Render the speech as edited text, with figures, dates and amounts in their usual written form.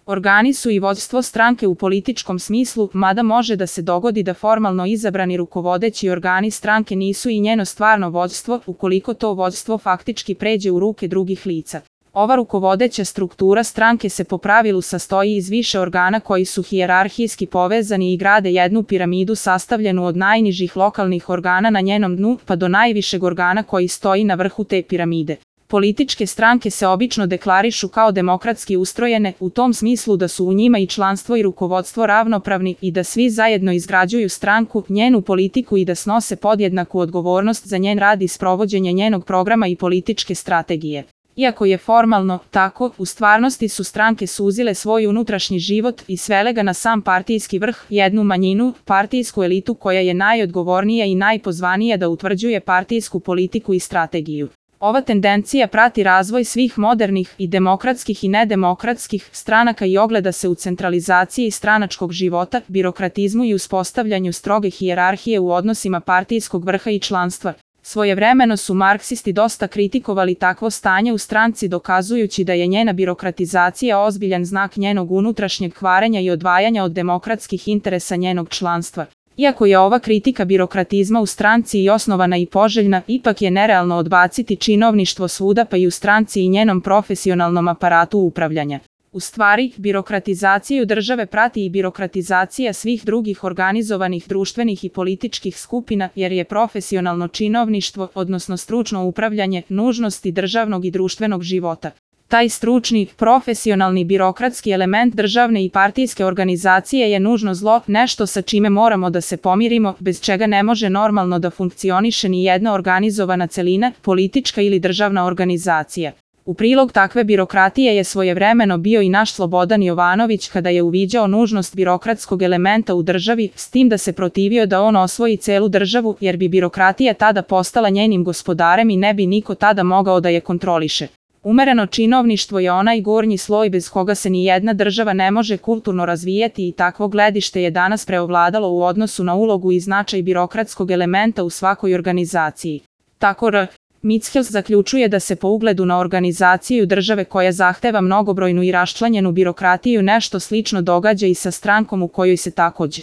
Organi su i vođstvo stranke u političkom smislu, mada može da se dogodi da formalno izabrani rukovodeći organi stranke nisu i njeno stvarno vođstvo, ukoliko to vođstvo faktički pređe u ruke drugih lica. Ova rukovodeća struktura stranke se po pravilu sastoji iz više organa koji su hijerarhijski povezani i grade jednu piramidu sastavljenu od najnižih lokalnih organa na njenom dnu pa do najvišeg organa koji stoji na vrhu te piramide. Političke stranke se obično deklarišu kao demokratski ustrojene, u tom smislu da su u njima i članstvo i rukovodstvo ravnopravni i da svi zajedno izgrađuju stranku, njenu politiku i da snose podjednaku odgovornost za njen rad i sprovođenje njenog programa i političke strategije. Iako je formalno tako, u stvarnosti su stranke suzile svoj unutrašnji život i svele ga na sam partijski vrh, jednu manjinu, partijsku elitu koja je najodgovornija i najpozvanija da utvrđuje partijsku politiku i strategiju. Ova tendencija prati razvoj svih modernih i demokratskih i nedemokratskih stranaka i ogleda se u centralizaciji stranačkog života, birokratizmu i uspostavljanju stroge hijerarhije u odnosima partijskog vrha i članstva. Svojevremeno su marksisti dosta kritikovali takvo stanje u stranci dokazujući da je njena birokratizacija ozbiljan znak njenog unutrašnjeg kvarenja i odvajanja od demokratskih interesa njenog članstva. Iako je ova kritika birokratizma u stranci i osnovana i poželjna, ipak je nerealno odbaciti činovništvo svuda pa i u stranci i njenom profesionalnom aparatu upravljanja. U stvari, birokratizaciju države prati i birokratizacija svih drugih organizovanih društvenih i političkih skupina, jer je profesionalno činovništvo, odnosno stručno upravljanje, nužnosti državnog i društvenog života. Taj stručni, profesionalni birokratski element državne i partijske organizacije je nužno zlo, nešto sa čime moramo da se pomirimo, bez čega ne može normalno da funkcioniše ni jedna organizovana celina, politička ili državna organizacija. U prilog takve birokratije je svojevremeno bio i naš Slobodan Jovanović kada je uviđao nužnost birokratskog elementa u državi, s tim da se protivio da on osvoji celu državu, jer bi birokratija tada postala njenim gospodarem i ne bi niko tada mogao da je kontroliše. Umereno činovništvo je onaj gornji sloj bez koga se ni jedna država ne može kulturno razvijati i takvo gledište je danas preovladalo u odnosu na ulogu i značaj birokratskog elementa u svakoj organizaciji. Tako R. Michels zaključuje da se po ugledu na organizaciju države koja zahteva mnogobrojnu i raščlanjenu birokratiju nešto slično događa i sa strankom u kojoj se takođe